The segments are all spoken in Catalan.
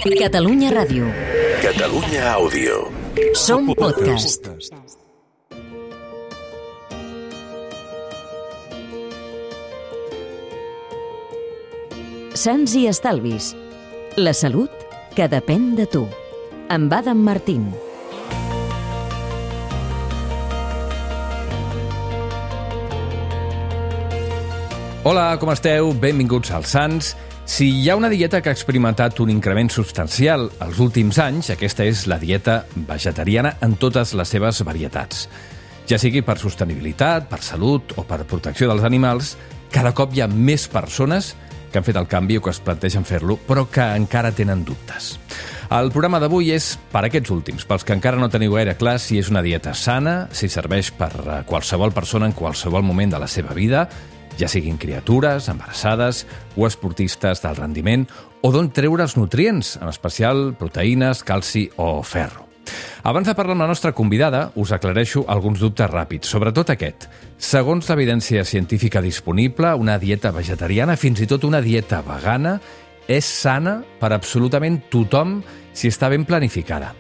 Catalunya Ràdio. Catalunya Àudio. Som podcast. Sants i estalvis. La salut que depèn de tu. Amb Adam Martín. Hola, com esteu? Benvinguts als Sants. Si hi ha una dieta que ha experimentat un increment substancial els últims anys, aquesta és la dieta vegetariana en totes les seves varietats. Ja sigui per sostenibilitat, per salut o per protecció dels animals, cada cop hi ha més persones que han fet el canvi o que es plantegen fer-lo, però que encara tenen dubtes. El programa d'avui és per aquests últims, pels que encara no teniu gaire clar si és una dieta sana, si serveix per a qualsevol persona en qualsevol moment de la seva vida, ja siguin criatures, embarassades o esportistes del rendiment, o d'on treure els nutrients, en especial proteïnes, calci o ferro. Abans de parlar amb la nostra convidada, us aclareixo alguns dubtes ràpids, sobretot aquest. Segons l'evidència científica disponible, una dieta vegetariana, fins i tot una dieta vegana, és sana per absolutament tothom si està ben planificada.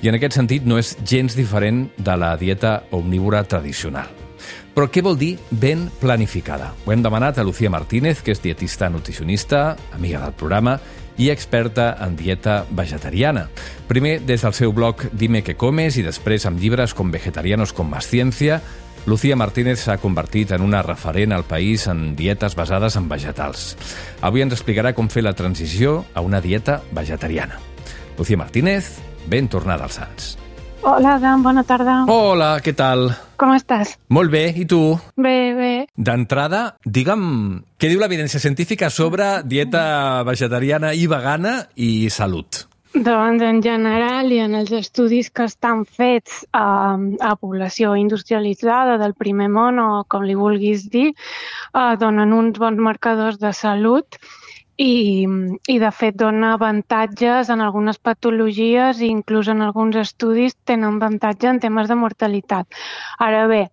I en aquest sentit no és gens diferent de la dieta omnívora tradicional. Però què vol dir ben planificada? Ho hem demanat a Lucía Martínez, que és dietista nutricionista, amiga del programa i experta en dieta vegetariana. Primer des del seu blog Dime qué comes i després amb llibres com Vegetarianos con más ciencia, Lucía Martínez s'ha convertit en una referent al país en dietes basades en vegetals. Avui ens explicarà com fer la transició a una dieta vegetariana. Lucía Martínez, ben tornada als Sants. Hola, Adam, bona tarda. Hola, què tal? Com estàs? Molt bé, i tu? Bé, bé. D'entrada, digue'm, què diu l'evidència científica sobre dieta vegetariana i vegana i salut? Doncs en general i en els estudis que estan fets a població industrialitzada del primer món, o com li vulguis dir, donen uns bons marcadors de salut i de fet dona avantatges en algunes patologies i inclús en alguns estudis tenen avantatge en temes de mortalitat. Ara bé,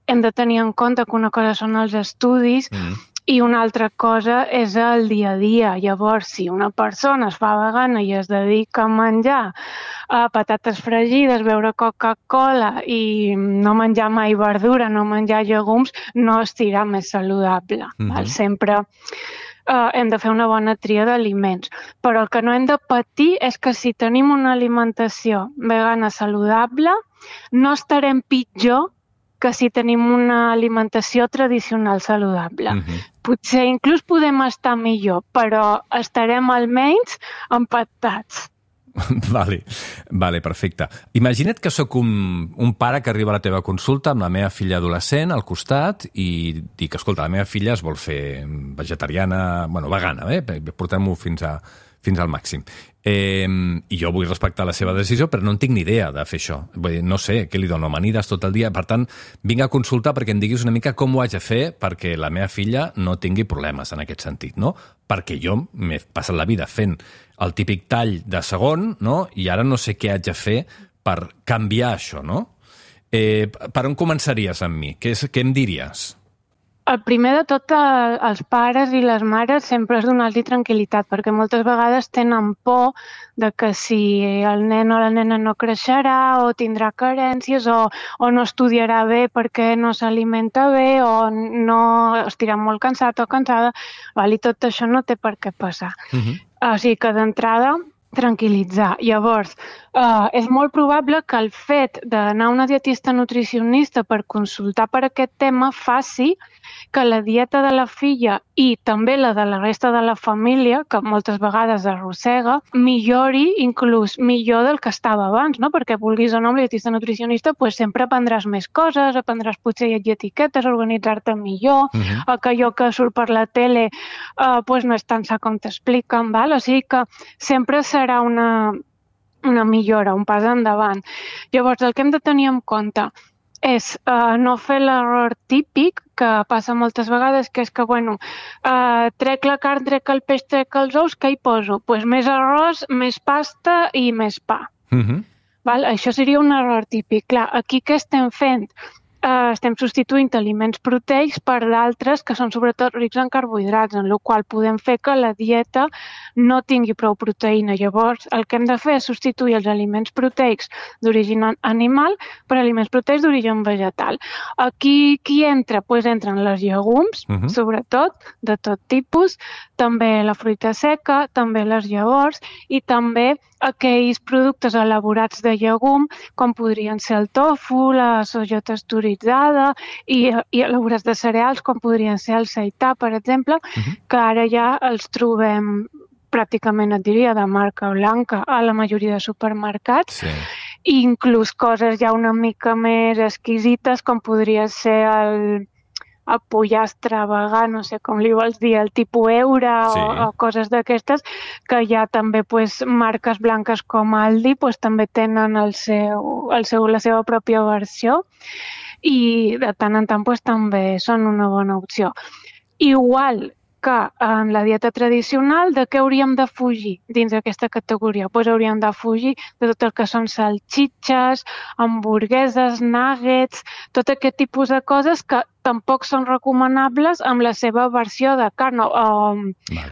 hem de tenir en compte que una cosa són els estudis i una altra cosa és el dia a dia. Llavors, si una persona es fa vegana i es dedica a menjar patates fregides, beure Coca-Cola i no menjar mai verdura, no menjar llegums, no estirà més saludable. Val? Sempre hem de fer una bona tria d'aliments. Però el que no hem de patir és que si tenim una alimentació vegana saludable, no estarem pitjor que si tenim una alimentació tradicional saludable. Potser inclús podem estar millor, però estarem almenys empatats. Vale, perfecte. Imagina't que sóc un pare que arriba a la teva consulta amb la meva filla adolescent al costat i dic, escolta, la meva filla es vol fer vegetariana, vegana, portem-ho fins al màxim. I jo vull respectar la seva decisió, però no en tinc ni idea de fer això. Vull dir, no sé, què li dono, amanides tot el dia? Per tant, vinc a consultar perquè em diguis una mica com ho haig de fer perquè la meva filla no tingui problemes en aquest sentit, no? Perquè jo m'he passat la vida fent el típic tall de segon, no? I ara no sé què haig de fer per canviar això, no? Per on començaries amb mi? Què em diries? El primer de tot, els pares i les mares sempre és donar-li tranquil·litat, perquè moltes vegades tenen por de que si el nen o la nena no creixerà o tindrà carències o no estudiarà bé perquè no s'alimenta bé o no estirà molt cansat o cansada, i tot això no té per què passar. O sigui que d'entrada tranquil·litzar. Llavors, és molt probable que el fet d'anar a una dietista nutricionista per consultar per aquest tema faci que la dieta de la filla i també la de la resta de la família, que moltes vegades arrossega, millori inclús millor del que estava abans, no? Perquè vulguis o no, amb la dietista nutricionista sempre aprendràs més coses, aprendràs potser llegir etiquetes, organitzar-te millor, que allò que surt per la tele no és tan sa com t'expliquen, val? O sigui que sempre serà una millora, un pas endavant. Llavors, el que hem de tenir en compte és no fer l'error típic que passa moltes vegades, que és que, trec la carn, trec el peix, trec els ous, què hi poso? Doncs més arròs, més pasta i més pa. Val? Això seria un error típic. Clar, aquí què estem fent? estem substituint aliments proteics per d'altres que són sobretot rics en carbohidrats, en la qual podem fer que la dieta no tingui prou proteïna. Llavors, el que hem de fer és substituir els aliments proteics d'origen animal per aliments proteics d'origen vegetal. Aquí qui entra? Pues entren les llegums, sobretot, de tot tipus, també la fruita seca, també les llavors i també aquells productes elaborats de llegum, com podrien ser el tofu, la soja texturitzada i elaborats de cereals, com podrien ser el seità, per exemple, que ara ja els trobem pràcticament, et diria, de marca blanca a la majoria de supermercats. Sí. I inclús coses ja una mica més exquisites, com podria ser el pollastre vegà, no sé com li vols dir, el tipus Eura o coses d'aquestes, que ja també marques blanques com Aldi també tenen la seva pròpia versió i de tant en tant també són una bona opció. Igual que en la dieta tradicional, de què hauríem de fugir dins d'aquesta categoria? Hauríem de fugir de tot el que són salxitxes, hamburgueses, nuggets, tot aquest tipus de coses que tampoc són recomanables amb la seva versió de carn,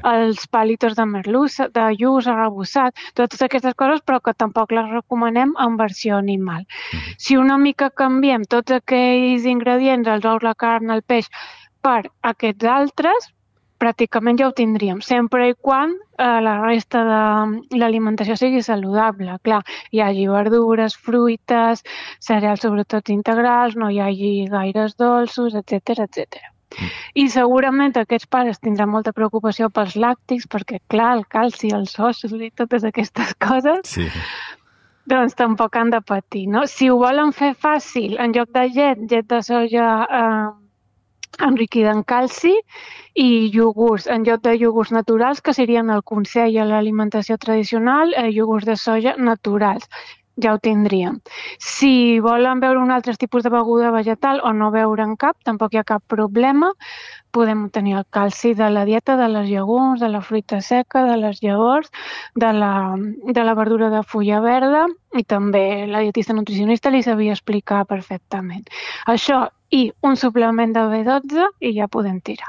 els palitos de merluça, de lluç arrebossat, totes aquestes coses, però que tampoc les recomanem en versió animal. Si una mica canviem tots aquells ingredients, els ous, la carn, el peix, per aquests altres, pràcticament ja ho tindríem, sempre i quan la resta de l'alimentació sigui saludable. Clar, hi hagi verdures, fruites, cereals sobretot integrals, no hi hagi gaires dolços, etc. I segurament aquests pares tindran molta preocupació pels làctics, perquè clar, el calci, els ossos i totes aquestes coses, doncs tampoc han de patir, no? Si ho volen fer fàcil, en lloc de llet de soja enriquida en calci i iogurts, en lloc de iogurts naturals, que serien el consell a l'alimentació tradicional, iogurts de soja naturals. Ja ho tindríem. Si volen beure un altre tipus de beguda vegetal o no beure'n cap, tampoc hi ha cap problema. Podem tenir el calci de la dieta, de les llegums, de la fruita seca, de les llavors, de la verdura de fulla verda i també la dietista nutricionista li sabia explicar perfectament. Això i un suplement de B12 i ja podem tirar.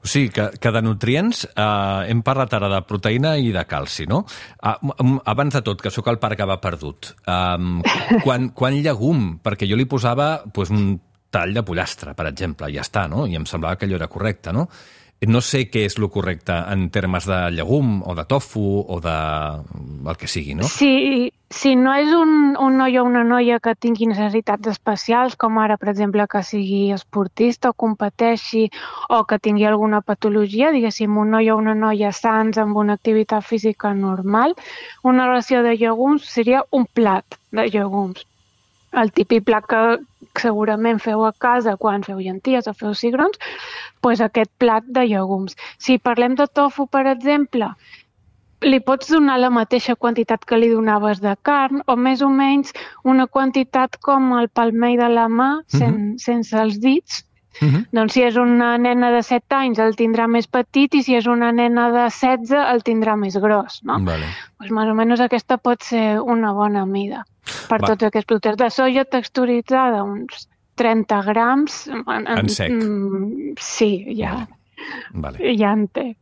O sigui, que de nutrients hem parlat ara de proteïna i de calci, no? Abans de tot, que sóc el pare que va perdut, quan llegum? Perquè jo li posava un tall de pollastre, per exemple, i ja està, no? I em semblava que allò era correcte, no? No sé què és el correcte en termes de llegum o de tofu o de el que sigui, no? Si no és un noi o una noia que tingui necessitats especials, com ara, per exemple, que sigui esportista o competeixi o que tingui alguna patologia, diguéssim, un noi o una noia sans amb una activitat física normal, una ració de llegums seria un plat de llegums. El típic plat que segurament feu a casa quan feu llenties o feu cigrons, doncs aquest plat de llegums. Si parlem de tofu, per exemple, li pots donar la mateixa quantitat que li donaves de carn o més o menys una quantitat com el palmell de la mà, sense els dits. Doncs si és una nena de 7 anys el tindrà més petit i si és una nena de 16 el tindrà més gros, no? Doncs més o menys aquesta pot ser una bona mida. Per tots aquests productes de soja texturitzada, uns 30 grams. En sec? Sí, ja en té.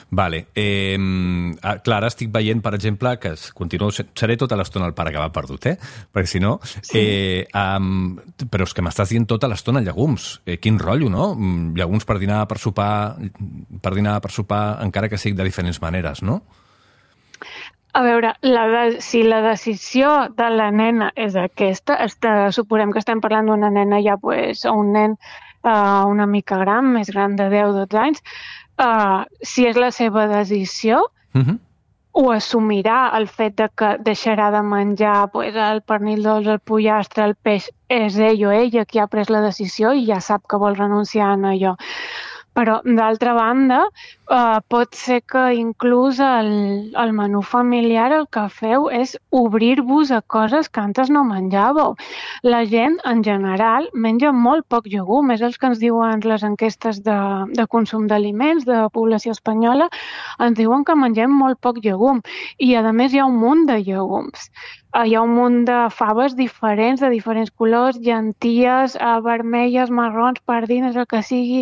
Vale. Clar, ara estic veient, per exemple, que seré tota l'estona el pare que va perdut, perquè si no... però és que m'estàs dient tota l'estona llegums. Quin rotllo, no? Llegums per dinar, per sopar, encara que sigui de diferents maneres, no? A veure, si la decisió de la nena és aquesta, suposem que estem parlant d'una nena ja, o un nen una mica gran, més gran de 10-12 anys, si és la seva decisió, ho assumirà el fet de que deixarà de menjar el pernil dolç, el pollastre, el peix, és ell o ella qui ha pres la decisió i ja sap que vol renunciar a allò. Però, d'altra banda, pot ser que inclús el menú familiar el que feu és obrir-vos a coses que antes no menjàveu. La gent, en general, menja molt poc llegum. És el que ens diuen les enquestes de consum d'aliments de la població espanyola. Ens diuen que mengem molt poc llegum. I, a més, hi ha un munt de llegums. Hi ha un munt de faves diferents, de diferents colors, llenties, vermelles, marrons, pardines, el que sigui,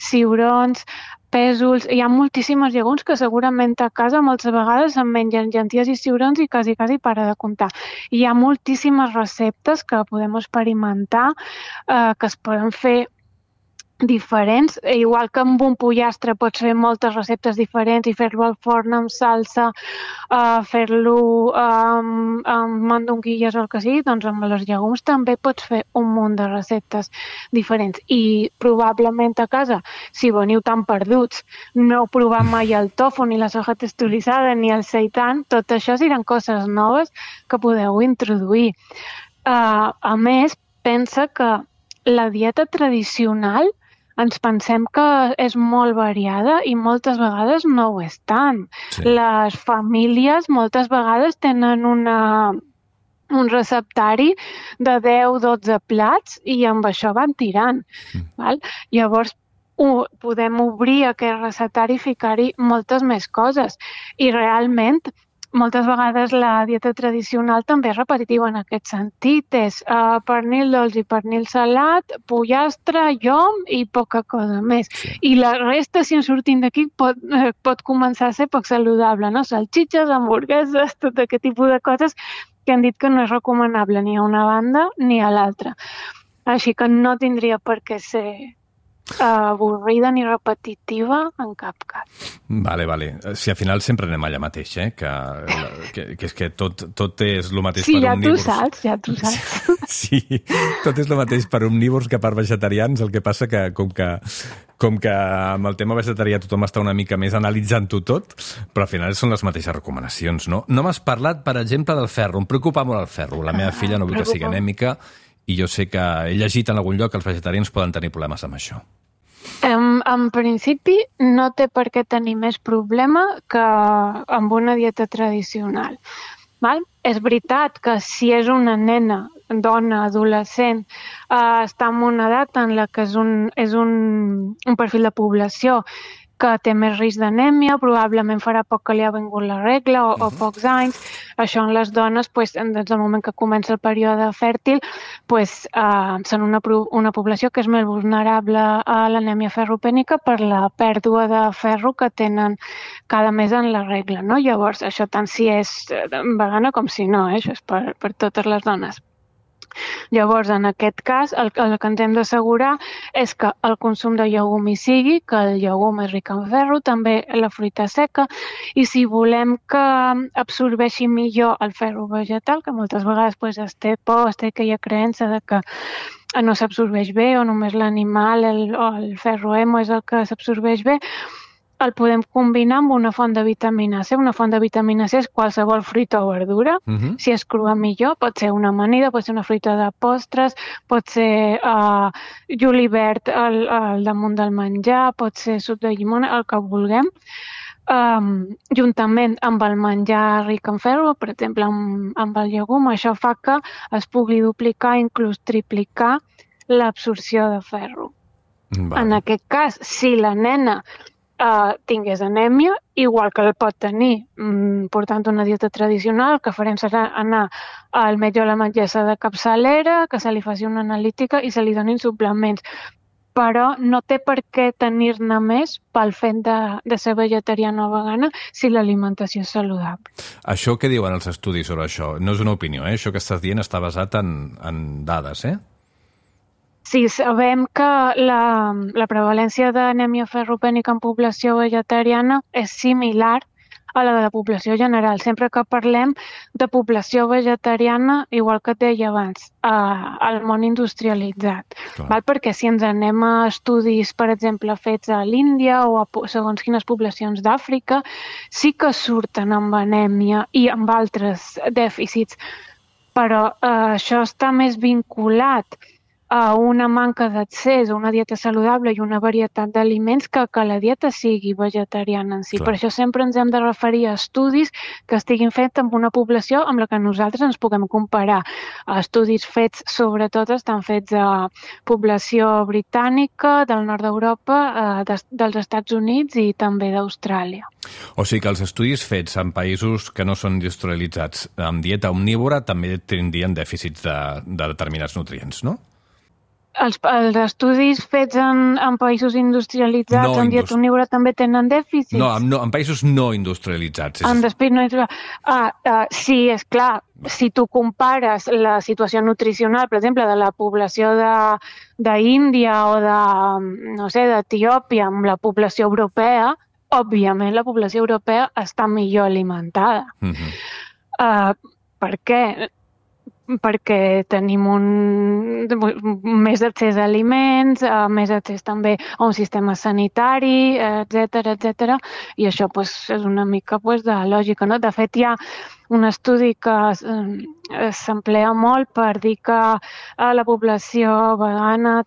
ciurons, pèsols. Hi ha moltíssimes llegums que segurament a casa moltes vegades em mengen llenties i ciurons i quasi para de comptar. Hi ha moltíssimes receptes que podem experimentar, que es poden fer diferents, igual que amb un pollastre pots fer moltes receptes diferents i fer-lo al forn amb salsa, fer-lo amb mandonguilles o el que sigui, doncs amb els llegums també pots fer un munt de receptes diferents. I probablement a casa, si veniu tan perduts, no heu provat mai el tofu, ni la soja texturizada, ni el seitan, tot això seran coses noves que podeu introduir. A més, pensa que la dieta tradicional ens pensem que és molt variada i moltes vegades no ho és tant. Sí. Les famílies moltes vegades tenen un receptari de 10-12 plats i amb això van tirant. Val? Llavors, podem obrir aquest receptari i ficar-hi moltes més coses. I realment, moltes vegades la dieta tradicional també és repetitiva en aquest sentit. És pernil dolç i pernil salat, pollastre, llom i poca cosa més. Sí. I la resta, si en sortim d'aquí, pot començar a ser poc saludable, no? Salxitxes, hamburgueses, tot aquest tipus de coses que han dit que no és recomanable ni a una banda ni a l'altra. Així que no tindria per què ser avorrida ni repetitiva en cap cas. Vale. Si al final sempre anem allà mateix, que és que tot és el mateix per omnívors. Ja tu saps. Sí, tot és el mateix per omnívors que per vegetarians, el que passa que com que amb el tema vegetarià tothom està una mica més analitzant-ho tot, però al final són les mateixes recomanacions, no? No m'has parlat, per exemple, del ferro. Em preocupa molt el ferro. La meva filla no vull que sigui anèmica i jo sé que he llegit en algun lloc que els vegetarians poden tenir problemes amb això. En principi no té per què tenir més problema que amb una dieta tradicional. Val? És veritat que si és una nena, dona, adolescent, està en una edat en la que és un perfil de població que té més risc d'anèmia, probablement farà poc que li ha vingut la regla o pocs anys. Això en les dones, des del moment que comença el període fèrtil, són una població que és més vulnerable a l'anèmia ferropènica per la pèrdua de ferro que tenen cada mes en la regla. No? Llavors, això tant si és vegana com si no, això és per totes les dones. Llavors, en aquest cas, el que ens hem d'assegurar és que el consum de llegum hi sigui, que el llegum és ric en ferro, també la fruita seca, i si volem que absorbeixi millor el ferro vegetal, que moltes vegades es té por, es té aquella creença de que no s'absorbeix bé o només l'animal, el ferro hemo és el que s'absorbeix bé, el podem combinar amb una font de vitamina C. Una font de vitamina C és qualsevol fruita o verdura. Si és crua millor, pot ser una amanida, pot ser una fruita de postres, pot ser julivert al damunt del menjar, pot ser suc de llimona, el que vulguem. Juntament amb el menjar ric en ferro, per exemple amb el llegum, això fa que es pugui duplicar, inclús triplicar l'absorció de ferro. En aquest cas, si la nena tingués anèmia, igual que el pot tenir portant una dieta tradicional, el que farem serà anar al metge o la metgessa de capçalera, que se li faci una analítica i se li donin suplements. Però no té per què tenir-ne més pel fet de ser vegetariana o vegana si l'alimentació és saludable. Això què diuen els estudis sobre això? No és una opinió, Això que estàs dient està basat en dades, Sí, sabem que la prevalència d'anèmia ferropènica en població vegetariana és similar a la de la població general. Sempre que parlem de població vegetariana, igual que et deia abans, al món industrialitzat. Val? Perquè si ens anem a estudis, per exemple, fets a l'Índia o a segons quines poblacions d'Àfrica, sí que surten amb anèmia i amb altres dèficits. Però això està més vinculat a una manca d'accés a una dieta saludable i una varietat d'aliments que la dieta sigui vegetariana en si. Clar. Per això sempre ens hem de referir a estudis que estiguin fets amb una població amb la que nosaltres ens puguem comparar. Estudis fets, sobretot, estan fets a població britànica, del nord d'Europa, dels Estats Units i també d'Austràlia. O sigui que els estudis fets en països que no són industrialitzats amb dieta omnívora també tindrien dèficits de determinats nutrients, no? Els estudis fets en països industrialitzats amb dieta omnívora també tenen dèficits? No, en països no industrialitzats. Sí, és clar. Si tu compares la situació nutricional, per exemple, de la població d'Índia o d'Etiòpia amb la població europea, òbviament la població europea està millor alimentada. Per què? Perquè tenim més accés a aliments, més accés també a un sistema sanitari, etc. I això és una mica de lògica, no? De fet, hi ha un estudi que s'emplea molt per dir que la població vegana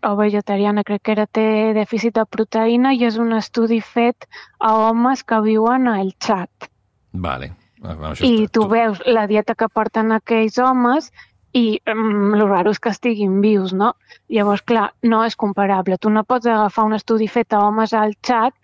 o vegetariana, crec que té dèficit de proteïna, i és un estudi fet a homes que viuen al Txad. Vale. I tu veus la dieta que porten aquells homes i el raro és que estiguin vius, no? Llavors, clar, no és comparable. Tu no pots agafar un estudi fet a homes al Txad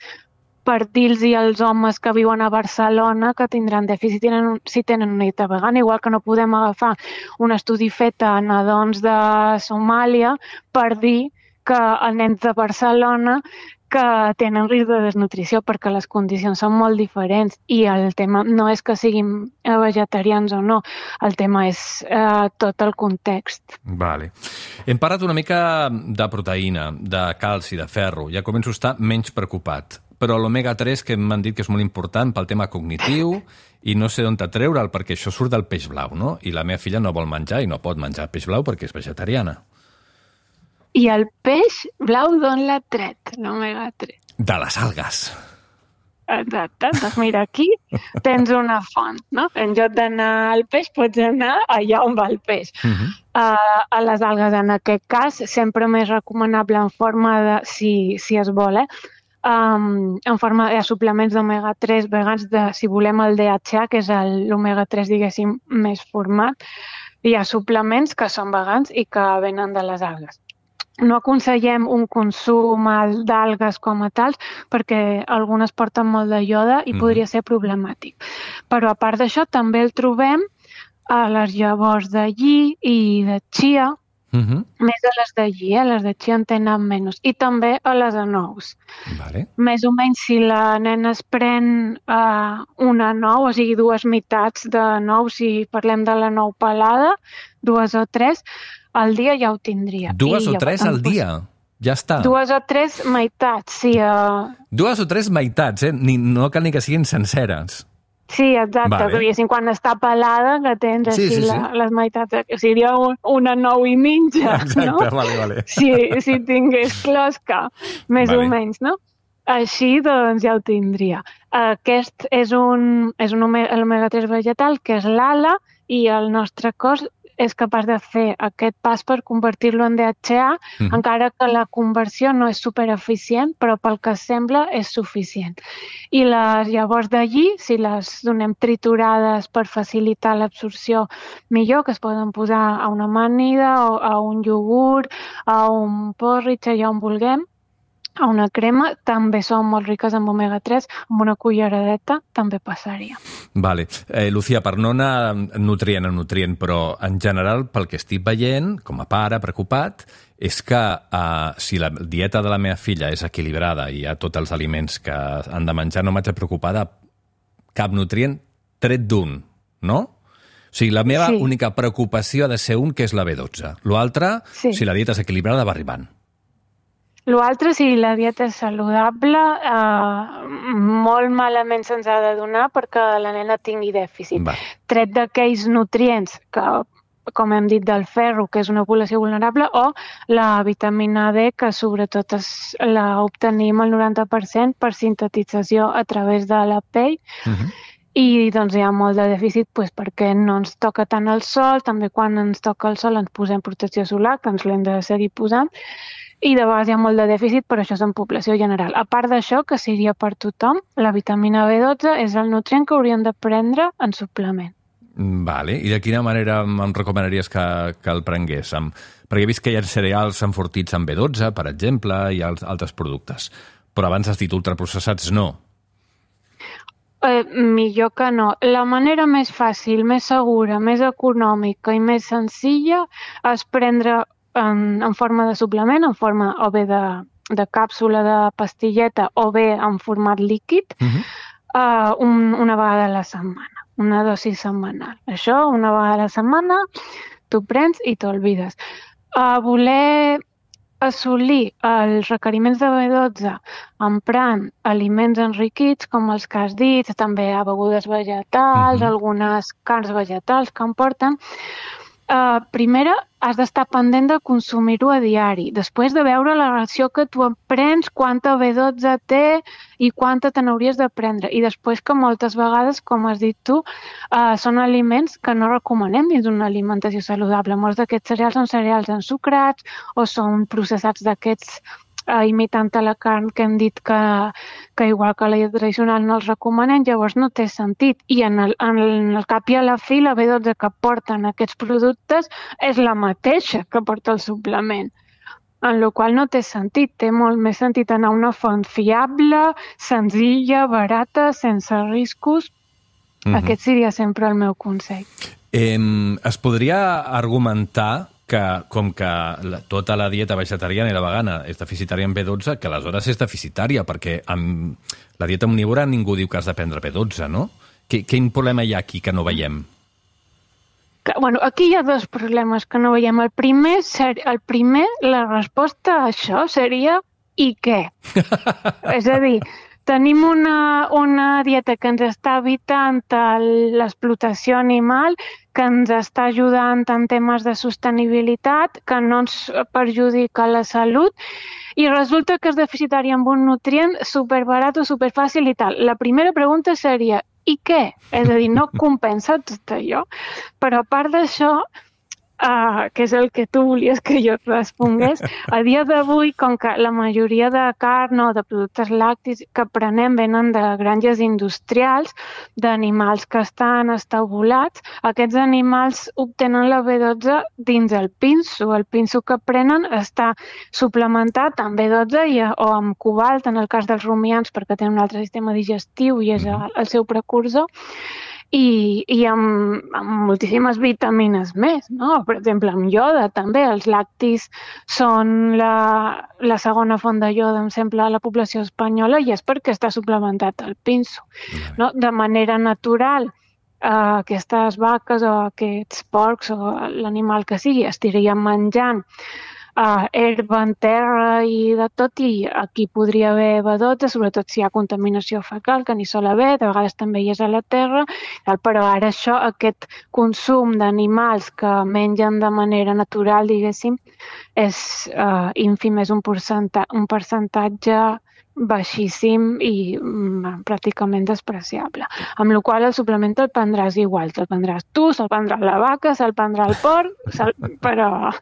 per dir-los als homes que viuen a Barcelona que tindran dèficit si tenen una dieta vegana, igual que no podem agafar un estudi fet a nadons de Somàlia per dir que els nens de Barcelona que tenen risc de desnutrició perquè les condicions són molt diferents i el tema no és que siguin vegetarians o no, el tema és tot el context. Vale. Hem parlat una mica de proteïna, de calci, de ferro, ja començo a estar menys preocupat, però l'omega-3 que m'han dit que és molt important pel tema cognitiu i no sé d'on treure'l perquè això surt del peix blau, no? I la meva filla no vol menjar i no pot menjar peix blau perquè és vegetariana. I el peix blau d'on l'ha tret, l'omega-3? De les algues. Exacte, doncs mira, aquí tens una font, no? En lloc d'anar al peix, pots anar allà on va el peix. A les algues, en aquest cas, sempre més recomanable en forma de, si es vol, en forma de suplements d'omega-3 vegans, si volem el DHA, que és l'omega-3, diguéssim, més format. Hi ha suplements que són vegans i que venen de les algues. No aconsellem un consum d'algues com a tals perquè algunes porten molt de ioda i podria ser problemàtic. Però a part d'això també el trobem a les llavors de lli i de chia, més a les de lli, les de chia en tenen menys, i també a les de nous. Vale. Més o menys si la nena es pren una nou, o sigui, dues meitats de nou, si parlem de la nou pelada, 2 o 3, al dia ja ho tindria. 2 o 3 al dia? Ja està. 2 o 3 meitats, sí. 2 o 3 meitats, no cal ni que siguin senceres. Sí, exacte. Vale. Quan està pelada, que tens així les meitats. Seria una 9 i mitja, exacte, no? Vale. Si tingués closca, més o menys, no? Així, doncs, ja ho tindria. Aquest és l'omega-3 vegetal, que és l'ALA, i el nostre cos és capaç de fer aquest pas per convertir-lo en DHA, encara que la conversió no és supereficient, però pel que sembla és suficient. I les llavors de lli, si les donem triturades per facilitar l'absorció millor, que es poden posar a una amanida, o a un iogurt, a un porridge, allà on vulguem, a una crema, també són molt riques en omega-3, amb una culleradeta també passaria. Vale. Lucía, per no anar nutrient a nutrient, però en general, pel que estic veient, com a pare preocupat, és que si la dieta de la meva filla és equilibrada i hi ha tots els aliments que han de menjar, no m'haig de preocupar de cap nutrient tret d'un, no? O sigui, la meva única preocupació ha de ser un, que és la B12. L'altre, si la dieta és equilibrada, va arribant. L'altre, si la dieta és saludable, molt malament se'ns ha de donar perquè la nena tingui dèficit. Tret d'aquells nutrients que, com hem dit, del ferro, que és una població vulnerable, o la vitamina D, que sobretot l'obtenim al 90% per sintetització a través de la pell. i doncs hi ha molt de dèficit perquè no ens toca tant el sol, també quan ens toca el sol ens posem protecció solar, que ens l'hem de seguir posant, i de vegades hi ha molt de dèficit, però això és en població general. A part d'això, que seria per tothom, la vitamina B12 és el nutrient que hauríem de prendre en suplement. Vale. I de quina manera em recomanaries que el prengués? Perquè he vist que hi ha cereals enfortits amb B12, per exemple, i altres productes. Però abans has dit ultraprocessats no. Millor que no. La manera més fàcil, més segura, més econòmica i més senzilla és prendre en forma de suplement, en forma o bé de càpsula, de pastilleta, o bé en format líquid, una vegada a la setmana, una dosi setmanal. Això, una vegada a la setmana, t'ho prens i t'olvides. Voler assolir els requeriments de B12 emprant aliments enriquits, com els que has dit, també a begudes vegetals, algunes carns vegetals que en porten. Primera, has d'estar pendent de consumir-ho a diari. Després de veure la ració que tu prens, quanta B12 té i quanta te n'hauries de prendre. I després que moltes vegades, com has dit tu, són aliments que no recomanem dins d'una alimentació saludable. Molts d'aquests cereals són cereals ensucrats o són processats d'aquests imitant la carn que hem dit que igual que la dieta tradicional no els recomanen, llavors no té sentit. I en el cap i a la fi la B12 que porten aquests productes és la mateixa que porta el suplement. En la qual no té sentit. Té molt més sentit anar a una font fiable, senzilla, barata, sense riscos. Aquest seria sempre el meu consell. Es podria argumentar que com que tota la dieta vegetariana i la vegana és deficitària en B12, que aleshores és deficitària, perquè amb la dieta omnívora ningú diu que has de prendre B12, no? Quin problema hi ha aquí que no veiem? Aquí hi ha dos problemes que no veiem. El primer, la resposta a això seria i què? És a dir, tenim una dieta que ens està evitant l'explotació animal, que ens està ajudant en temes de sostenibilitat, que no ens perjudica la salut, i resulta que és deficitari amb un nutrient superbarat o superfàcil i tal. La primera pregunta seria, i què? És a dir, no compensa tot allò. Però a part d'això, que és el que tu volies que jo et respongués, a dia d'avui, com que la majoria de carn o de productes làctics que prenem venen de granges industrials, d'animals que estan estabulats, aquests animals obtenen la B12 dins el pinso. El pinso que prenen està suplementat amb B12 o amb cobalt, en el cas dels rumians, perquè tenen un altre sistema digestiu i és el seu precursor, i amb moltíssimes vitamines més, no? Per exemple, amb ioda també. Els lactis són la segona font de ioda, em sembla, a la població espanyola, i és perquè està suplementat el pinso. No? De manera natural, aquestes vaques o aquests porcs o l'animal que sigui estirien menjant herba en terra i de tot, i aquí podria haver B12, sobretot si hi ha contaminació fecal, que n'hi sol haver, de vegades també hi és a la terra, però ara aquest consum d'animals que mengen de manera natural, diguéssim, és ínfim, és un percentatge baixíssim i pràcticament despreciable. Amb la qual cosa el suplement te'l prendràs igual, te'l prendràs tu, se'l prendrà la vaca, se'l prendrà el porc, però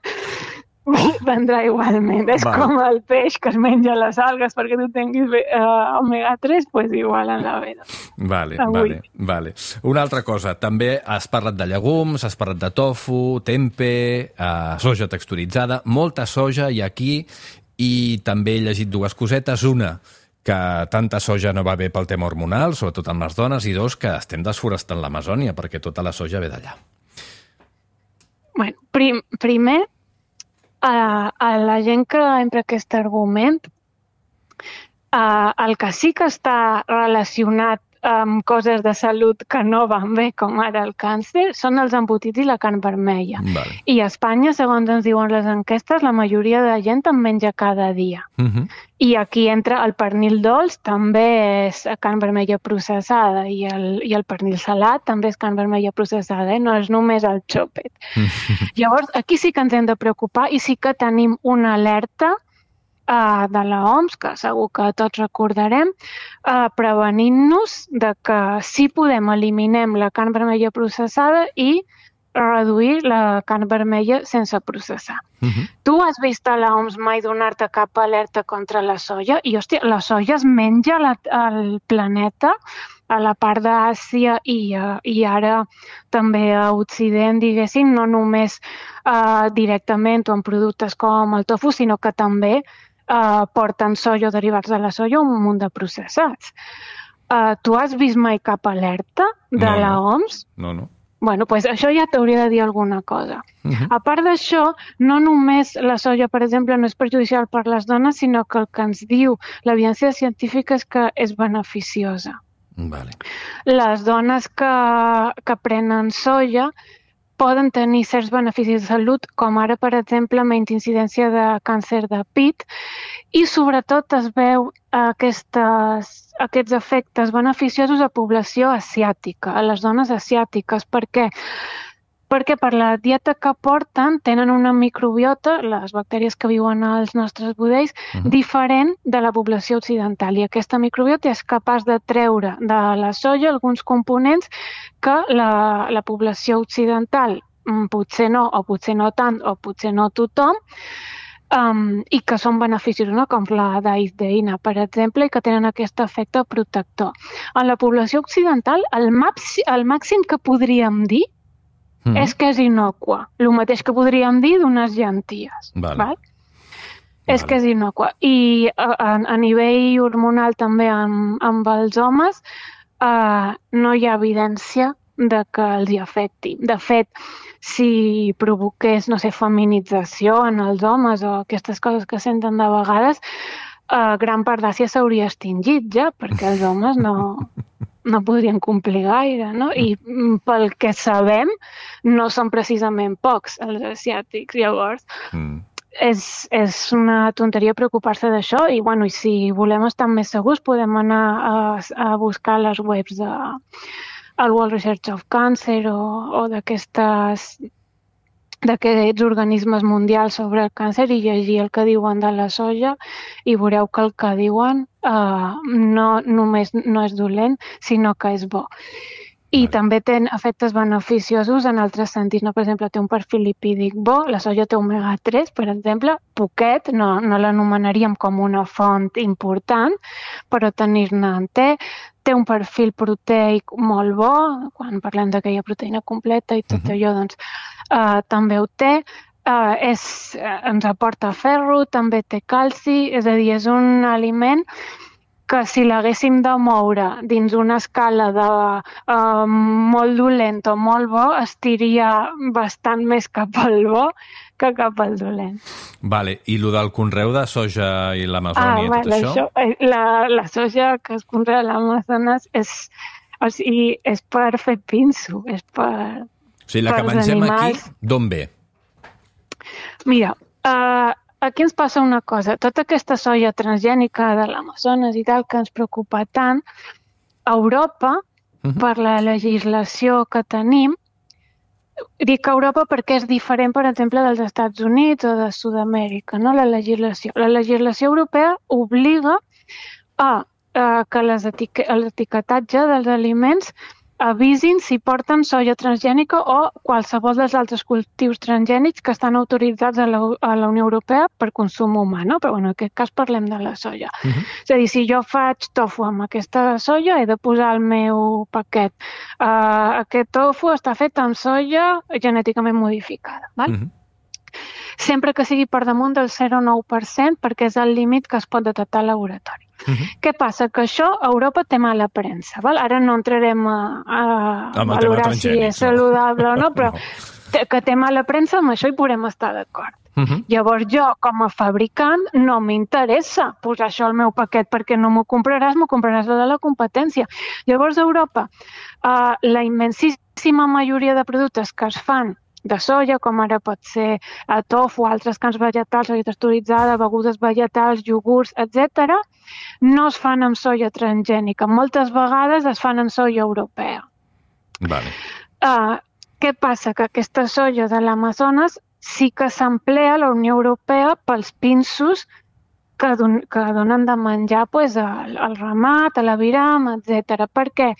prendrà igualment. És com el peix que es menja les algues perquè tu tinguis omega-3, doncs igual en la vida. Vale. Una altra cosa, també has parlat de llegums, has parlat de tofu, tempeh, soja texturitzada, molta soja hi ha aquí, i també he llegit dues cosetes. Una, que tanta soja no va bé pel tema hormonal, sobretot amb les dones, i dos, que estem desforestant l'Amazònia perquè tota la soja ve d'allà. Primer, a la gent que empra aquest argument, el que sí que està relacionat amb coses de salut que no van bé, com ara el càncer, són els embotits i la carn vermella. Vale. I a Espanya, segons ens diuen les enquestes, la majoria de gent en menja cada dia. I aquí entra el pernil dolç, també és carn vermella processada, i el pernil salat també és carn vermella processada, no és només el xòpet. Llavors, aquí sí que ens hem de preocupar i sí que tenim una alerta de l'OMS, que segur que tots recordarem, prevenint-nos de que si podem eliminem la carn vermella processada i reduir la carn vermella sense processar. Tu has vist a l'OMS mai donar-te cap alerta contra la soia? I, hòstia, la soia es menja al planeta, a la part d'Àsia i ara també a Occident, diguéssim, no només directament o en productes com el tofu, sinó que també porten soia o derivats de la soia un munt de processats. Tu has vist mai cap alerta de l'OMS? No. Bueno, doncs això ja t'hauria de dir alguna cosa. A part d'això, no només la soia, per exemple, no és perjudicial per les dones, sinó que el que ens diu l'evidència científica és que és beneficiosa. Vale. Les dones que prenen soia poden tenir certs beneficis de salut, com ara, per exemple, menys incidència de càncer de pit, i sobretot es veu aquests efectes beneficiosos a població asiàtica, a les dones asiàtiques. Per què? Perquè per la dieta que porten tenen una microbiota, les bactèries que viuen als nostres budells, diferent de la població occidental. I aquesta microbiota és capaç de treure de la soia alguns components que la població occidental potser no, o potser no tant, o potser no tothom, i que són beneficiosos, no? Com la daidzeïna, per exemple, i que tenen aquest efecte protector. En la població occidental, el màxim que podríem dir és que és innocua. El mateix que podríem dir d'unes llenties. Val? És que és innocua. I a nivell hormonal també amb els homes no hi ha evidència de que els hi afecti. De fet, si provoqués, no sé, feminització en els homes o aquestes coses que senten de vegades, gran part d'Àsia s'hauria extingit ja, perquè els homes no podrien complir gaire, no? I pel que sabem, no són precisament pocs els asiàtics. Llavors, és una tonteria preocupar-se d'això i, bueno, i si volem estar més segurs podem anar a buscar les webs del World Research of Cancer o d'aquests organismes mundials sobre el càncer i llegir el que diuen de la soja i veureu que el que diuen no només no és dolent, sinó que és bo. I també té efectes beneficiosos en altres sentits. No? Per exemple, té un perfil lipídic bo, la soja té omega-3, per exemple, poquet, no l'anomenaríem com una font important, però tenir-ne en té un perfil proteic molt bo, quan parlem d'aquella proteïna completa i tot allò, doncs també ho té. Ens aporta ferro, també té calci, és a dir, és un aliment que si l'haguéssim de moure dins una escala de molt dolent o molt bo, estiria bastant més cap al bo que cap al dolent. Vale, i el del conreu de soja i l'Amazònia, tot això? La soja que es conrea a l'Amazones és per fer pinso, és per... O sigui, la que mengem aquí, d'on ve? Mira, aquí ens passa una cosa. Tota aquesta soia transgènica de l'Amazones i tal que ens preocupa tant, a Europa, per la legislació que tenim, dic Europa perquè és diferent, per exemple, dels Estats Units o de Sud-amèrica, no? La legislació europea obliga que l'etiquetatge dels aliments avisin si porten soia transgènica o qualsevol dels altres cultius transgènics que estan autoritzats a la Unió Europea per consum humà, no? Però en aquest cas parlem de la soia. És a dir, si jo faig tofu amb aquesta soia, he de posar al meu paquet. Aquest tofu està fet amb soia genèticament modificada, val? Sempre que sigui per damunt del 0,9%, perquè és el límit que es pot detectar al laboratori. Què passa? Que això a Europa té mala premsa. Val? Ara no entrarem a valorar si és saludable o no, però que té mala premsa, amb això hi podem estar d'acord. Llavors jo, com a fabricant, no m'interessa posar això al meu paquet perquè no m'ho compraràs la de la competència. Llavors a Europa, la immensíssima majoria de productes que es fan de soia, com ara pot ser tofu, altres carns vegetals, soia texturitzada, begudes vegetals, iogurts, etc., no es fan amb soia transgènica. Moltes vegades es fan amb soia europea. Vale. Què passa? Que aquesta soia de l'Amazones sí que s'emplea a la Unió Europea pels pinsos que donen de menjar al ramat, a l'aviram, etc. Per què?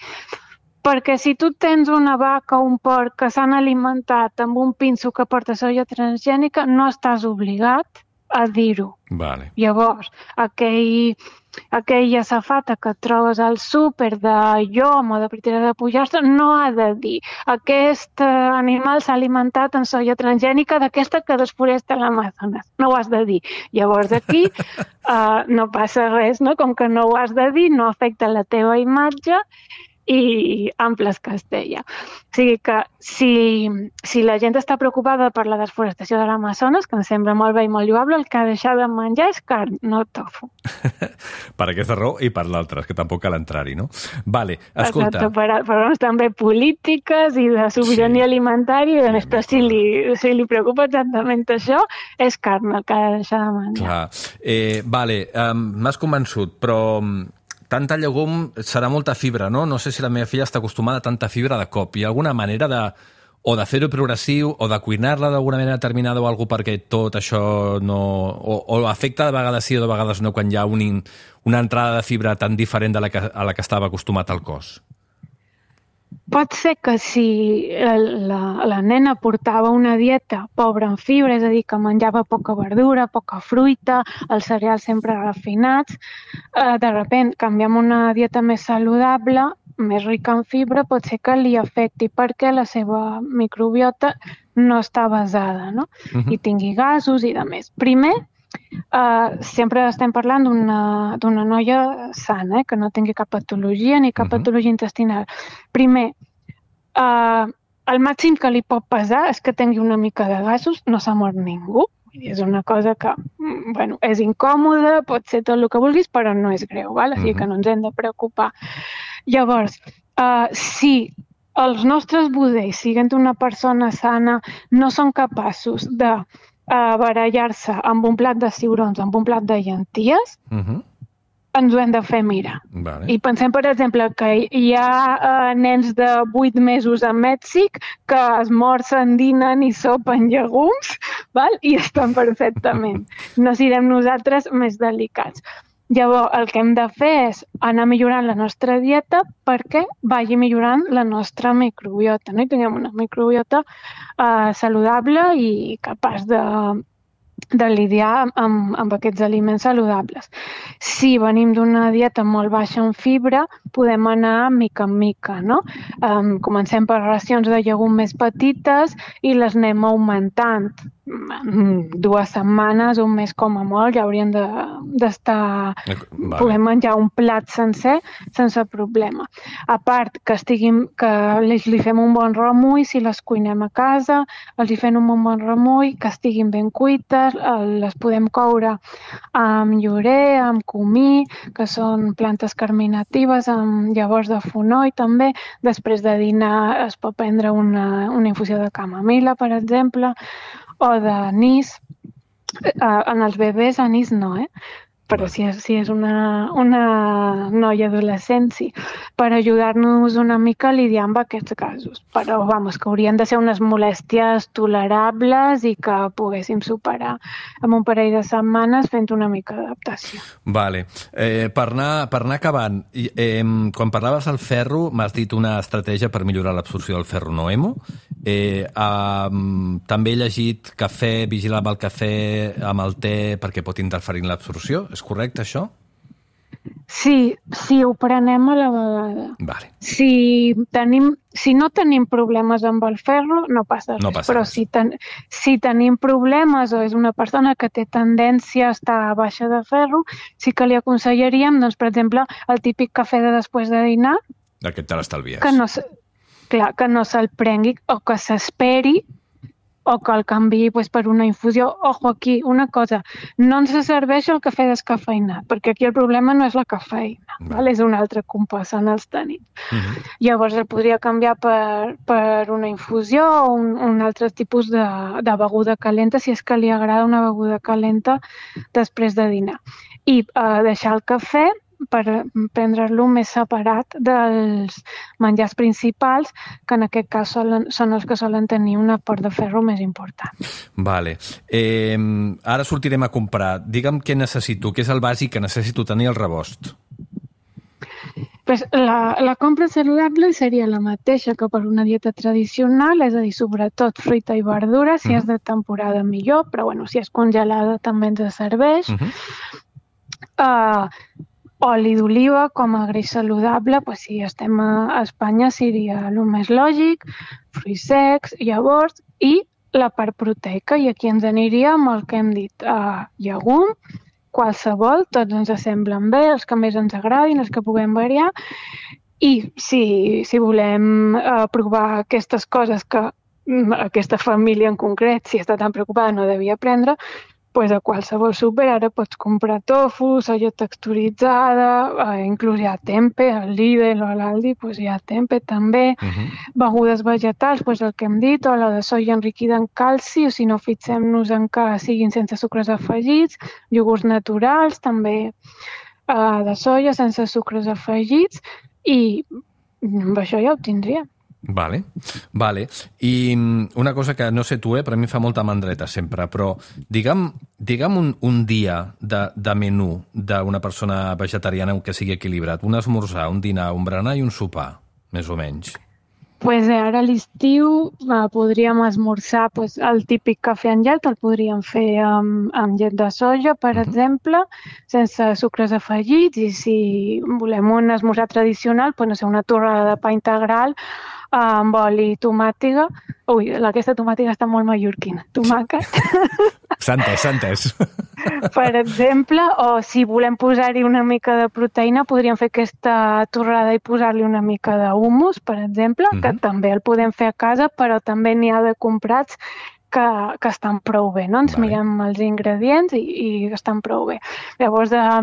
Perquè si tu tens una vaca o un porc que s'han alimentat amb un pinso que porta soia transgènica, no estàs obligat a dir-ho. Vale. Llavors, aquella safata que et trobes al súper de llom o de pritera de pollastre no ha de dir aquest animal s'ha alimentat amb soia transgènica d'aquesta que desforesta l'Amazones. No ho has de dir. Llavors aquí no passa res, no? Com que no ho has de dir, no afecta la teva imatge i amples Castella. O sigui que si la gent està preocupada per la desforestació de l'Amazones, que em sembla molt bé i molt lloable, el que ha de deixar de menjar és carn, no tofu. Per aquesta raó i per l'altra, que tampoc cal entrar-hi, no? Vale, escolta. Exacte, per raons també polítiques i de sobirania alimentària, però si li preocupa exactament això, és carn el que ha de deixar de menjar. Clar. Vale, m'has convençut, però tanta llegum serà molta fibra, no? No sé si la meva filla està acostumada a tanta fibra de cop. Hi ha alguna manera de fer-ho progressiu o de cuinar-la d'alguna manera determinada o alguna perquè tot això no... O afecta de vegades sí o de vegades no quan hi ha una entrada de fibra tan diferent a la que estava acostumat al cos? Pot ser que si la nena portava una dieta pobra en fibra, és a dir, que menjava poca verdura, poca fruita, els cereals sempre refinats, de sobte canviem una dieta més saludable, més rica en fibra, pot ser que li afecti perquè la seva microbiota no està basada, no? I tingui gasos i de més. Primer, sempre estem parlant d'una noia sana, que no tingui cap patologia ni cap patologia intestinal. Primer, el màxim que li pot pesar és que tingui una mica de gasos, no s'ha mort ningú. És una cosa que, bueno, és incòmoda, pot ser tot el que vulguis, però no és greu, val? Així que no ens hem de preocupar. Llavors, si els nostres budells, siguent una persona sana, no són capaços de barallar-se amb un plat de ciurons, amb un plat de llenties, ens ho hem de fer mirar. Vale. I pensem, per exemple, que hi ha nens de 8 mesos a Mèxic que esmorzen, dinen i sopen llegums, val? I estan perfectament. No siguem nosaltres més delicats. Llavors, el que hem de fer és anar millorant la nostra dieta perquè vagi millorant la nostra microbiota, no? I tinguem una microbiota saludable i capaç de lidiar amb aquests aliments saludables. Si venim d'una dieta molt baixa en fibra, podem anar mica en mica, no? Comencem per racions de llegum més petites i les anem augmentant. 2 setmanes, un mes com a molt, ja haurien d'estar... Vale. Podem menjar un plat sencer sense problema. A part, que li fem un bon remull, si les cuinem a casa, els hi fem un bon remull, que estiguin ben cuites, les podem coure amb llorer, amb comí, que són plantes carminatives, amb llavors de fonoll també. Després de dinar es pot prendre una infusió de camamila, per exemple, o d'anís. En els bebès anís no, però si és una noia adolescent, sí, per ajudar-nos una mica a lidiar amb aquests casos. Però, que haurien de ser unes molèsties tolerables i que poguéssim superar en un parell de setmanes fent una mica d'adaptació. Vale. Per anar acabant, quan parlaves del ferro, m'has dit una estratègia per millorar l'absorció del ferro no hemo. També he llegit cafè, vigilar amb el cafè, amb el te, perquè pot interferir en l'absorció. És correcte, això? Sí, ho prenem a la vegada. Vale. Si no tenim problemes amb el ferro, no passa res. Però si tenim problemes o és una persona que té tendència a estar baixa de ferro, sí que li aconsellaríem, doncs, per exemple, el típic cafè de després de dinar. Aquest te l'estalvies. Que no se'l prengui o que s'esperi o que el canviï per una infusió. Ojo, aquí, una cosa, no ens serveix el cafè descafeïnat, perquè aquí el problema no és la cafeïna, és un altre compost els tanins. Llavors el podria canviar per una infusió o un altre tipus de beguda calenta, si és que li agrada una beguda calenta després de dinar. I deixar el cafè per prendre-lo més separat dels menjars principals, que en aquest cas són els que solen tenir un aport de ferro més important. Vale. Ara sortirem a comprar. Digue'm què necessito, què és el bàsic que necessito tenir al rebost. Pues la compra saludable seria la mateixa que per una dieta tradicional, és a dir, sobretot fruita i verdura, si és de temporada millor, però bueno, si és congelada també ens serveix. Oli d'oliva com a greix saludable, pues si estem a Espanya seria el més lògic, fruits secs, llavors i la part proteica, i aquí ens aniria amb el que hem dit, llegum, qualsevol, tots ens semblen bé, els que més ens agradin, els que puguem variar, i si volem provar aquestes coses que aquesta família en concret, si està tan preocupada, no devia prendre, doncs a qualsevol súper ara pots comprar tofu, soia texturitzada, inclús hi ha tempe, al Lidl o a l'Aldi hi ha tempe també, begudes vegetals, el que hem dit, o la de soia enriquida en calci, o si no fixem-nos en que siguin sense sucres afegits, iogurts naturals també de soia sense sucres afegits, i amb això ja ho tindríem. Vale. I una cosa que no sé tu, però a mi fa molta mandreta sempre, però digue'm un dia de menú d'una persona vegetariana que sigui equilibrat, un esmorzar, un dinar, un berenar i un sopar, més o menys. Ara a l'estiu podríem esmorzar el típic cafè amb llet, el podríem fer amb llet de soja, per exemple, sense sucres afegits, i si volem un esmorzar tradicional, no sé, una torrada de pa integral amb oli i tomàtiga. Ui, aquesta tomàtiga està molt mallorquina. Tomàquet. S'ha entès. Per exemple, o si volem posar-hi una mica de proteïna, podríem fer aquesta torrada i posar-li una mica d'humus, per exemple, que també el podem fer a casa, però també n'hi ha de comprats que estan prou bé, no? Ens mirem els ingredients i estan prou bé. Llavors, a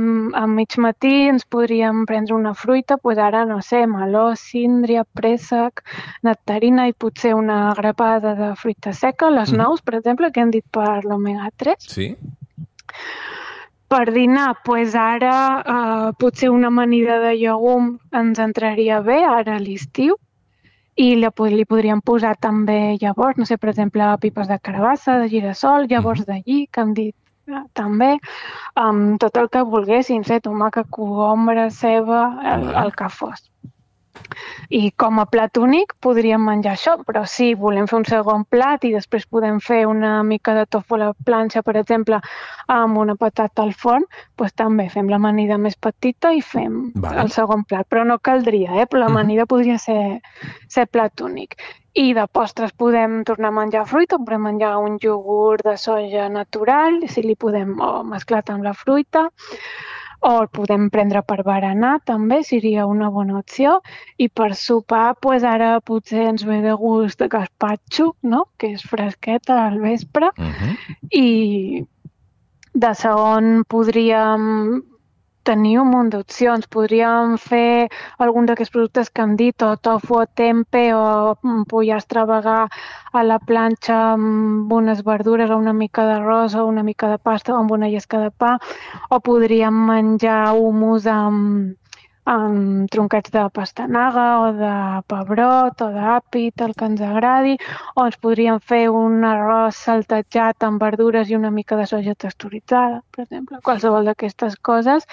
mig matí ens podríem prendre una fruita, ara, no sé, meló, síndria, préssec, nectarina i potser una grapada de fruita seca, les nous, per exemple, que hem dit per l'omega-3. Sí. Per dinar, ara potser una amanida de llegum ens entraria bé, ara a l'estiu, i li podríem posar també llavors, no sé, per exemple, pipes de carabassa, de girassol, llavors d'allí, que hem dit també, tot el que volguéssim, tomàquet, cogombre, ceba, el que fos. I com a plat únic podríem menjar això, però si volem fer un segon plat i després podem fer una mica de tofu a la planxa, per exemple, amb una patata al forn, doncs també fem l'amanida més petita i fem el segon plat. Però no caldria, però l'amanida podria ser plat únic. I de postres podem tornar a menjar fruita, podem menjar un iogurt de soja natural, si li podem mesclar amb la fruita, o el podem prendre per berenar, també seria una bona opció. I per sopar, ara potser ens ve de gust de gaspatxo, no? Que és fresqueta al vespre. I de segon podríem tenir un munt d'opcions. Podríem fer algun d'aquests productes que hem dit, o tofu o tempe, o pollastre vegà a la planxa amb unes verdures, o una mica d'arròs, o una mica de pasta, o amb una llesca de pa, o podríem menjar hummus amb troncats de pastanaga, o de pebrot, o d'àpid, el que ens agradi, o ens podríem fer un arròs saltejat amb verdures i una mica de soja texturitzada, per exemple. Qualsevol d'aquestes coses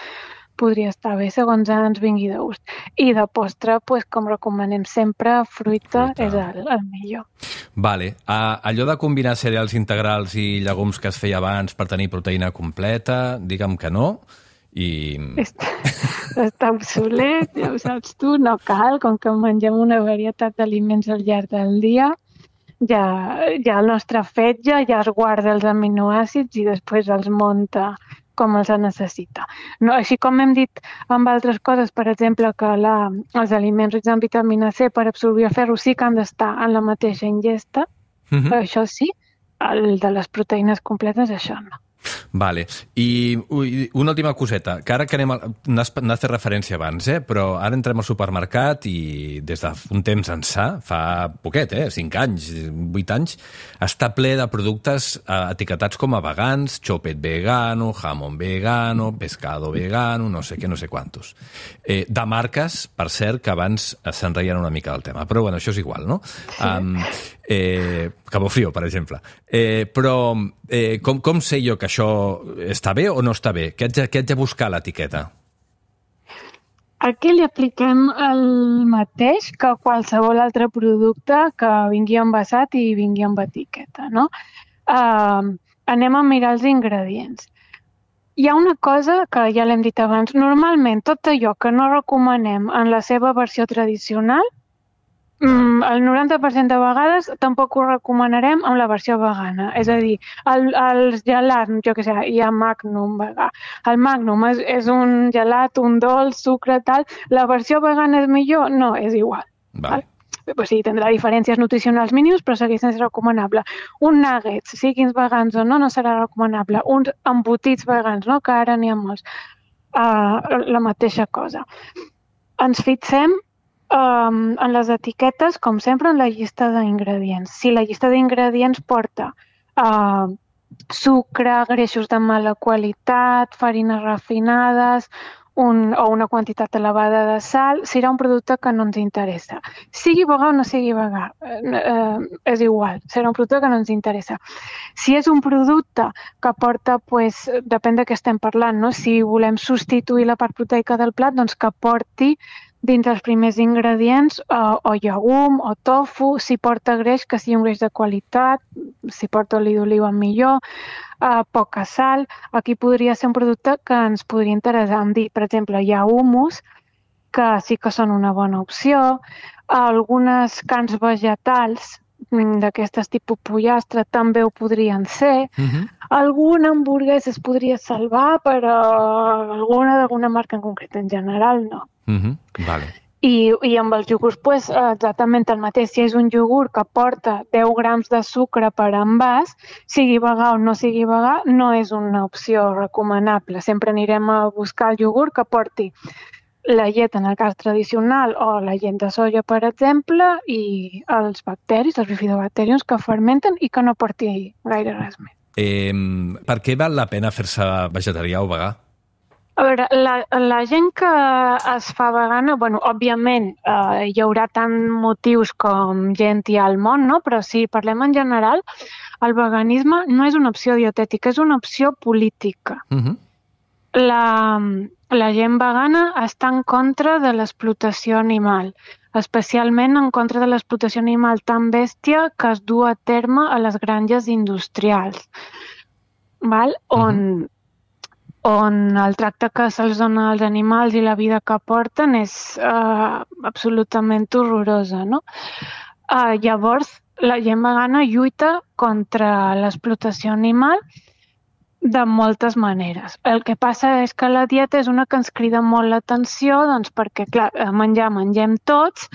podria estar bé segons ens vingui de gust. I de postre, com recomanem sempre, fruita és el millor. Vale. Allò de combinar cereals integrals i llegums que es feia abans per tenir proteïna completa, digue'm que no. Està obsolet, ja ho saps tu, no cal, com que mengem una varietat d'aliments al llarg del dia, ja el nostre fetge ja es guarda els aminoàcids i després els munta com els necessita. No, així com hem dit amb altres coses, per exemple, que els aliments rics en vitamina C per absorbir el ferro sí que han d'estar en la mateixa ingesta, això sí, el de les proteïnes completes, això no. Vale. I una última coseta, que ara que n'has fet referència abans, però ara entrem al supermercat i des d'un temps ençà, fa poquet, 5 anys, 8 anys, està ple de productes etiquetats com a vegans, xopet vegano, jamón vegano, pescado vegano, no sé què, no sé quantos. De marques, per cert, que abans se'n reien una mica del tema, però bueno, això és igual, no? Sí. Cabo Frio, per exemple. Però com sé jo que això està bé o no està bé? Què haig de buscar a l'etiqueta? Aquí li apliquem el mateix que qualsevol altre producte que vingui envasat i vingui amb etiqueta, no? Anem a mirar els ingredients. Hi ha una cosa que ja l'hem dit abans. Normalment, tot allò que no recomanem en la seva versió tradicional, el 90% de vegades tampoc ho recomanarem amb la versió vegana. És a dir, els gelats, jo què sé, hi ha Magnum vegà. El Magnum és un gelat, un dolç, sucre, tal. La versió vegana és millor? No, és igual. Vale. Pues sí, tindrà diferències nutricionals mínimes, però segueix sent recomanable. Un nuggets, siguin vegans o no serà recomanable. Uns embotits vegans, no? Que ara n'hi ha molts. La mateixa cosa. Ens fixem en les etiquetes, com sempre, en la llista d'ingredients. Si la llista d'ingredients porta sucre, greixos de mala qualitat, farines refinades o una quantitat elevada de sal, serà un producte que no ens interessa. Sigui vegà o no sigui vegà, és igual, serà un producte que no ens interessa. Si és un producte que porta, depèn de què estem parlant, no? Si volem substituir la part proteica del plat, doncs que porti dins els primers ingredients o llegum o tofu, si porta greix, que sigui un greix de qualitat, si porta oli d'oliva millor, poca sal. Aquí podria ser un producte que ens podria interessar. Per exemple, hi ha hummus, que sí que són una bona opció. Algunes carns vegetals d'aquestes tipus pollastre també ho podrien ser. Alguna hamburguesa es podria salvar, però d'alguna marca en concret, en general no. Vale. I amb els iogurts, exactament el mateix. Si és un iogurt que porta 10 grams de sucre per envàs, sigui vegà o no sigui vegà, no és una opció recomanable. Sempre anirem a buscar el iogurt que porti la llet, en el cas tradicional, o la llet de soja, per exemple, i els bacteris, els bifidobacteriums que fermenten i que no porti gaire res més. Per què val la pena fer-se vegetarià o vegà? A veure, la gent que es fa vegana, òbviament hi haurà tant motius com gent hi ha al món, no? Però si parlem en general, el veganisme no és una opció dietètica, és una opció política. La gent vegana està en contra de l'explotació animal, especialment en contra de l'explotació animal tan bèstia que es du a terme a les granges industrials, on el tracte que se'ls dona als animals i la vida que porten és absolutament horrorosa, no? Llavors, la gent vegana lluita contra l'explotació animal de moltes maneres. El que passa és que la dieta és una que ens crida molt l'atenció, doncs perquè, clar, mengem tots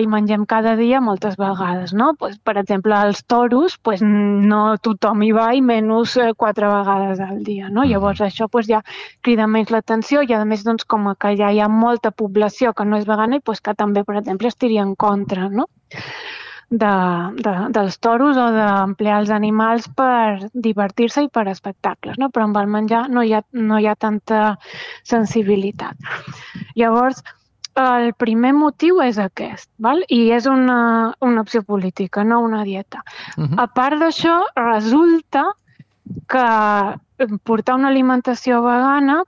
i mengem cada dia moltes vegades, no? Per exemple, als toros, no tothom hi va i menys 4 vegades al dia, no? Llavors això ja crida menys l'atenció i a més, doncs, com que ja hi ha molta població que no és vegana i que també, per exemple, estiria en contra, no? dels toros o d'emplear els animals per divertir-se i per espectacles, no? Però amb el menjar no hi ha tanta sensibilitat. Llavors, el primer motiu és aquest, i és una opció política, no una dieta. A part d'això, resulta que portar una alimentació vegana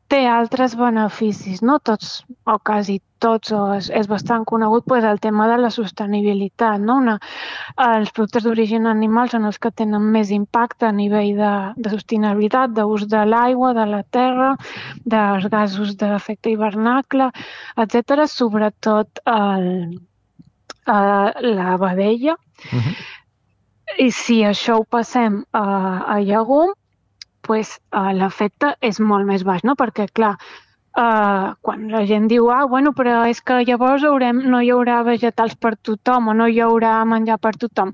té altres beneficis, no tots, o quasi tots, és bastant conegut el tema de la sostenibilitat, no? Els productes d'origen animal són els que tenen més impacte a nivell de sostenibilitat, d'ús de l'aigua, de la terra, dels gasos d'efecte hivernacle, etc., sobretot la vedella. I si això ho passem a llegum, l'efecte és molt més baix, no? Perquè, clar, quan la gent diu però és que llavors no hi haurà vegetals per tothom o no hi haurà menjar per tothom.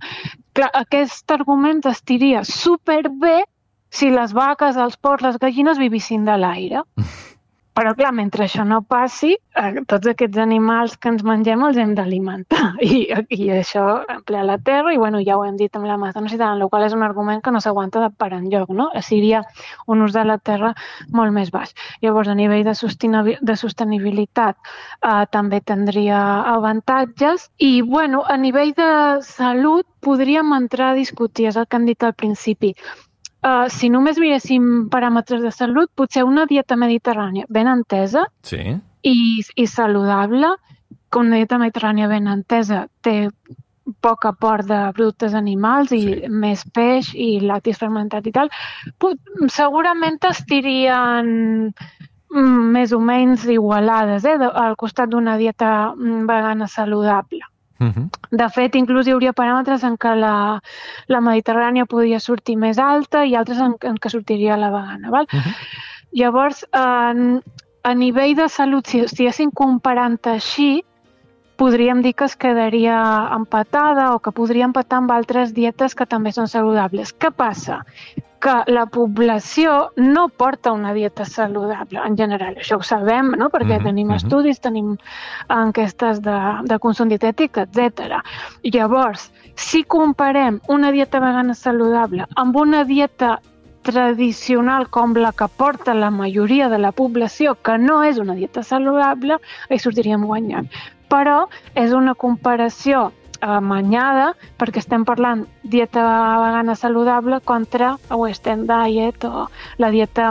Clar, aquest argument estiria superbé si les vaques, els porcs, les gallines vivissin de l'aire. Però, clar, mentre això no passi, tots aquests animals que ens mengem els hem d'alimentar. I això emplea la terra i, bueno, ja ho hem dit amb la metanocitat, en el qual és un argument que no s'aguanta de per enlloc, no? Seria un ús de la terra molt més baix. Llavors, a nivell de sostenibilitat també tindria avantatges. I, bueno, a nivell de salut podríem entrar a discutir, és el que han dit al principi. Si només miréssim paràmetres de salut, potser una dieta mediterrània ben entesa i saludable, que una dieta mediterrània ben entesa té poc aport de productes animals i més peix i lactis fermentat i tal, segurament estirien més o menys igualades al costat d'una dieta vegana saludable. De fet, inclús hi hauria paràmetres en què la mediterrània podria sortir més alta i altres en què sortiria la vegana. Val? Llavors, a nivell de salut, si estiguéssim comparant així, podríem dir que es quedaria empatada o que podria empatar amb altres dietes que també són saludables. Què passa? Que la població no porta una dieta saludable en general. Això ho sabem, no? Perquè tenim estudis, tenim enquestes de consum dietètic, etc. Llavors, si comparem una dieta vegana saludable amb una dieta tradicional com la que porta la majoria de la població, que no és una dieta saludable, hi sortiríem guanyant. Però és una comparació amanyada, perquè estem parlant dieta vegana saludable contra Western Diet o la dieta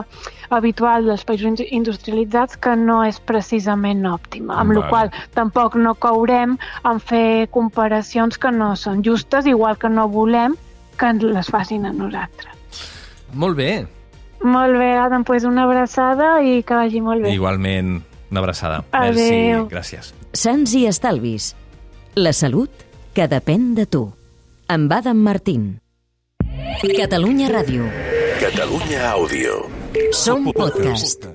habitual dels països industrialitzats, que no és precisament òptima, amb la qual tampoc no caurem en fer comparacions que no són justes, igual que no volem que les facin a nosaltres. Molt bé. Molt bé, Adam, doncs una abraçada i que vagi molt bé. Igualment, una abraçada. Adéu. Merci, gràcies. Sants i estalvis. La salut que depèn de tu. Amb Adam Martín. Catalunya Ràdio. Catalunya Àudio. Som podcast.